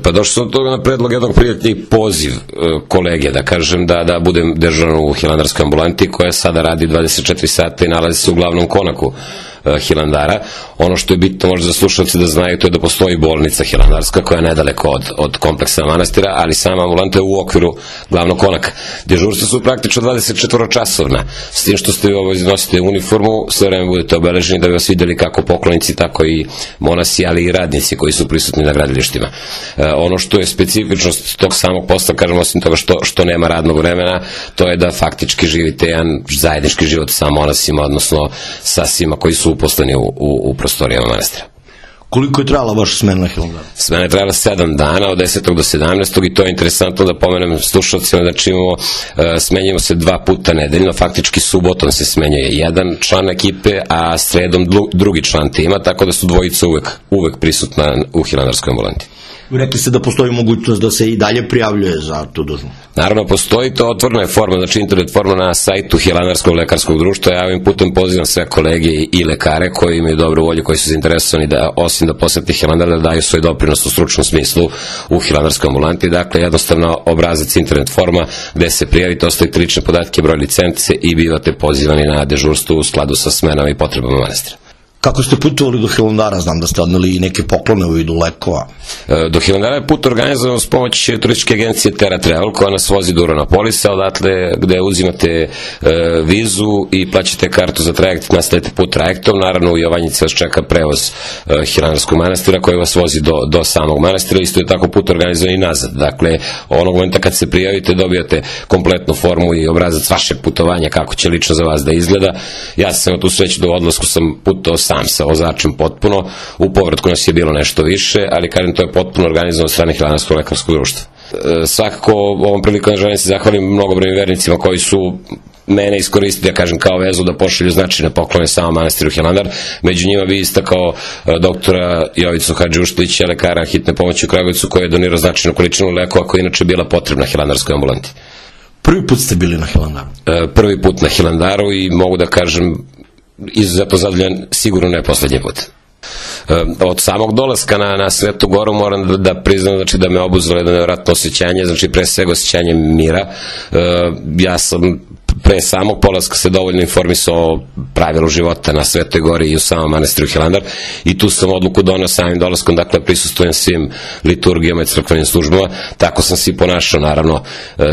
Pa došao sam od toga na predlog jednog prijatelja i poziv kolege, da kažem, da budem dežuran u hilandarskoj ambulanti koja sada radi 24 sata i nalazi se u glavnom konaku Hilandara. Ono što je bitno možda za slušalce da znaju, to je da postoji bolnica hilandarska koja je nedaleko od kompleksa manastira, ali sama ambulanta je u okviru glavnog konaka. Dežurstva su praktično 24 časovna, s tim što ste nosite uniformu, sve vreme budete obeleženi da bi vas videli kako poklonici, tako i monasi, ali i radnici koji su prisutni na gradilištima. Ono što je specifičnost tog samog posla, kažem, osim toga što nema radnog vremena, to je da faktički živite jedan zajednički život sa monasima, odnosno sa svima koji su uposleni u prostorijama manastira. Koliko je trajala vaša smena na Hilandaru? Smena je trajala 7 dana, od 10. do 17. i to je interesantno da pomenem slušalcima, znači smenjujemo se 2 puta nedeljno, faktički subotom se smenjuje jedan član ekipe, a sredom drugi član tima, tako da su dvojica uvek prisutna u hilandarskoj ambulanti. Rekli ste da postoji mogućnost da se i dalje prijavljuje za tu dužnost. Naravno, postoji, to otvorena je forma, znači internet forma na sajtu Hilandarskog lekarskog društva. Ja ovim putem pozivam sve kolege i lekare koji imaju dobru volju, koji su zainteresovani da, osim da posete Hilandar, da daju svoj doprinos u stručnom smislu u hilandarskoj ambulanti. Dakle, jednostavno obrazac internet forma gde se prijavite, ostavite lične podatke, broj licence i bivate pozivani na dežurstvo u skladu sa smenama i potrebama manastira. Kako ste putovali do Hilandara? Znam da ste odneli i neke poklone u vidu lekova. Do Hilandara je put organizovan s pomoć turističke agencije Terra Travel, koja nas vozi do Uranopolisa, odatle gde uzimate vizu i plaćate kartu za trajekt, nastavite put trajektom. Naravno, u Jovanjici vas čeka prevoz Hilandarskog manastira koji vas vozi do samog manastira. Isto je tako put organizovan i nazad. Dakle, onog momenta kad se prijavite, dobijate kompletnu formu i obrazac vašeg putovanja, kako će lično za vas da izgleda. Ja sam imao tu sreću da u odlasku sam putovao sam sa vozačem potpuno, u povratku nas je bilo nešto više, ali kažem, to je potpuno organizovano od strane Hilandarskog lekarskog društva. Svakako, ovom prilikom želim se zahvalim mnogobrojnim vernicima koji su mene iskoristili, ja kažem, kao vezu da pošalju značajne poklone samom manastiru Hilandar. Među njima bi istakao doktora Jovicu Hadžiuštlića, lekara hitne pomoći u Kragujevcu, koji je donirao značajnu količinu lekova koja inače bila potrebna hilandarskoj ambulanti. Prvi put ste bili na Hilandaru? Prvi put na Hilandaru i mogu da kažem izuzetno zadovoljan, sigurno ne poslednji put. Od samog dolaska na Svetu Goru moram da priznam, znači, da me obuzelo jedno nevratno osjećanje, znači pre svega osjećanje mira. Ja sam pre samog polaska se dovoljno informisao o pravilu života na Svetoj Gori i u samom manastiru Hilandar i tu sam odluku donao samim dolaskom, dakle prisustujem svim liturgijama i crkvenim službama, tako sam se i ponašao naravno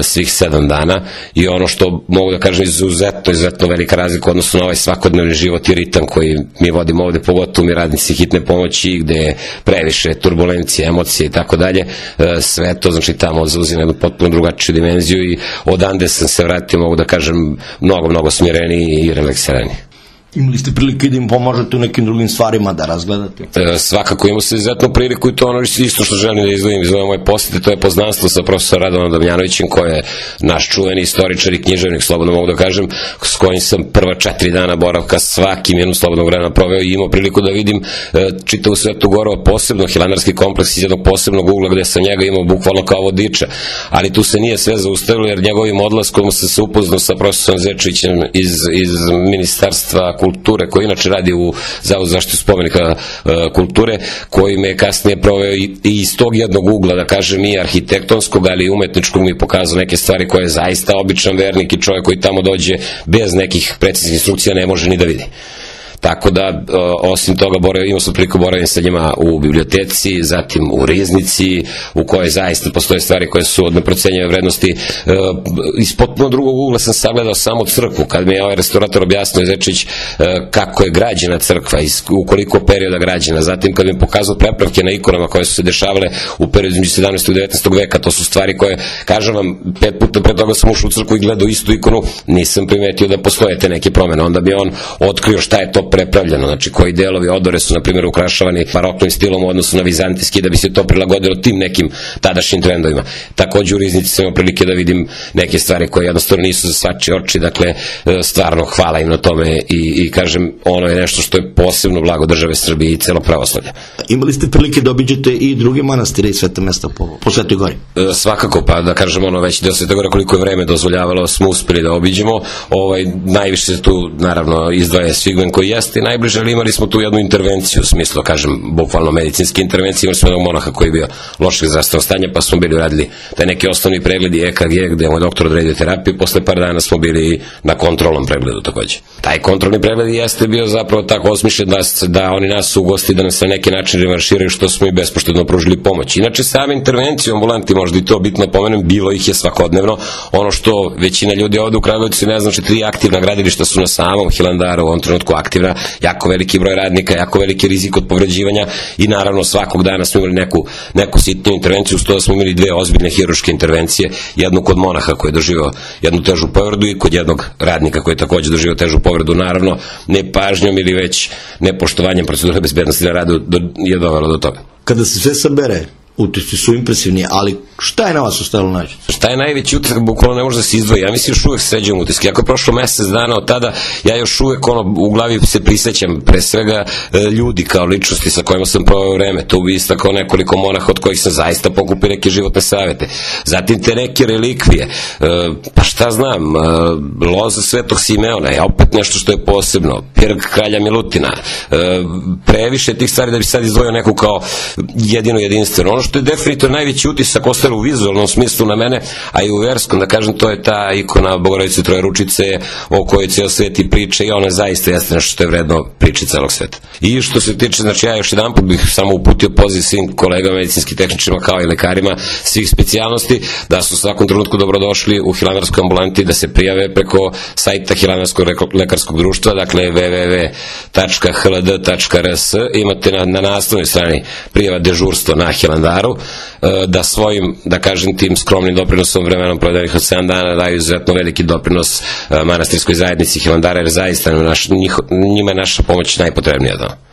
svih 7 dana i ono što mogu da kažem izuzetno velika razlika odnosno na ovaj svakodnevni život i ritam koji mi vodimo ovde, pogotovo mi radnici hitne pomoći gde je previše turbulencije, emocije i tako dalje, sve to znači tamo zauzima jednu potpuno drugačiju dimenziju i odande sam se vratio, mogu da kažem, mnogo smireniji i relaksiraniji. Imali ste prilike da im pomožete u nekim drugim stvarima da razgledate? Svakako, imamo se izuzetnu priliku i to ono isto što želim da izdvojim iz ove moje posete, to je poznanstvo sa profesorom Radovanom Damjanovićem, koji je naš čuveni istoričar i književnik, slobodno mogu da kažem, s kojim sam prva 4 dana boravka svakim jednom slobodnog vremena proveo i imao priliku da vidim čitavu Svetu Goru, posebno hilandarski kompleks iz jednog posebnog ugla gde sam njega imao bukvalno kao vodiča, ali tu se nije sve zaustavilo jer njegovim odlaskom sam se upoznao sa profesorom Zečevićem iz Ministarstva kulture, koji inače radi u Zavodu za zaštitu spomenika kulture, koji me kasnije proveo i iz tog jednog ugla, da kažem, i arhitektonskog, ali i umetničkog mi pokazao neke stvari koje zaista običan vernik i čovjek koji tamo dođe bez nekih preciznih instrukcija ne može ni da vidi. Tako da, osim toga, imao sam priliku boravim sa njima u biblioteci, zatim u riznici, u kojoj zaista postoje stvari koje su od neprocenjive vrednosti. Iz potpuno drugog ugla sam sagledao samu crkvu, kad mi je ovaj restaurator objasnio, Zečević, kako je građena crkva, u koliko perioda građena. Zatim, kad mi je pokazao prepravke na ikonama koje su se dešavale u periodu između 17. i 19. veka, to su stvari koje, kažem vam, 5 puta pre toga sam ušao u crkvu i gledao istu ikonu, nisam primetio da postoje te neke promene. Onda bi on otkrio šta je to prepravljeno, znači koji delovi odore su, na primjer, ukrašavani baroknim stilom u odnosu na vizantijski, da bi se to prilagodilo tim nekim tadašnjim trendovima. Takođe u riznici sam imao prilike da vidim neke stvari koje jednostavno nisu za svačije oči, dakle, stvarno hvala im na tome i kažem, ono je nešto što je posebno blago države Srbije i celo pravoslavlje. Imali ste prilike da obiđete i druge manastire i sveta mesta po Svetoj Gori? Svakako, pa da kažem, već deo Svete Gore koliko je vreme dozvoljavalo smo uspeli da obiđemo. Najviše tu, naravno, izdvaja Svigmen koji je jeste najbliže, ali imali smo tu jednu intervenciju, u smislu, kažem, bukvalno medicinske intervencije, imali smo jednog monaha koji je bio lošeg zdravstvenog stanja, pa smo bili uradili taj neki osnovni pregled i EKG, gde je moj doktor odredio terapiju, posle par dana smo bili na kontrolnom pregledu takođe. Taj kontrolni pregled jeste bio zapravo tako osmišljen da oni nas ugosti, da nas na neki način revanširaju, što smo i bespoštedno pružili pomoć. Inače, same intervencije u ambulanti, možda i to bitno pomenem, bilo ih je svakodnevno. Ono što većina ljudi ovde u Kragujevcu ne znači, 3 aktivna gradilišta su na samom Hilandaru u ovom trenutku aktivna, jako veliki broj radnika, jako veliki rizik od povređivanja i naravno svakog dana smo imali neku sitnu intervenciju, uz to da smo imali 2 ozbiljne hirurške intervencije, jednu kod monaha koji je doživio jednu težu povredu i kod jednog radnika koji je takođe doživio težu povredu, naravno nepažnjom ili već nepoštovanjem procedure bezbednosti na radu je dovelo do toga. Kada se sve sabere, utisci su impresivni, ali šta je na vas ostalo najčešće? Šta je najveći utisak, bukvalno ne može da se izdvoji. Ja mislim još uvek sređujem utiske. Ako je prošlo mesec dana od tada, ja još uvek u glavi se prisećam pre svega ljudi kao ličnosti sa kojima sam proveo vreme. To bi istakao nekoliko monaha od kojih sam zaista pokupio neke životne savete. Zatim te neke relikvije, pa šta znam, loza Svetog Simeona je opet nešto što je posebno, pirg kralja Milutina, previše tih stvari da bi sad izdvojio neku kao jedino jedinstveno. Ono što je definitivno najveći utisak ostalo u vizualnom smislu na mene, a i u verskom, da kažem, to je ta ikona Bogorodice Trojeručice o kojoj ceo svet i priča i ona zaista jeste nešto što je vredno priče celog sveta. I što se tiče, znači ja još jedan put bih samo uputio poziv svim kolegama, medicinskim tehničarima kao i lekarima svih specijalnosti da su u svakom trenutku dobrodošli u Hilandarskoj ambulanti, da se prijave preko sajta Hilandarskog lekarskog društva, dakle www.hld.rs, imate na naslovnoj strani prijava dežurstvo na Hilandaru, da svojim, da kažem, tim skromnim doprinosom vremenom provedenih od 7 dana daju izuzetno veliki doprinos manastirskoj zajednici Hilandara, jer zaista njima je naša pomoć najpotrebnija.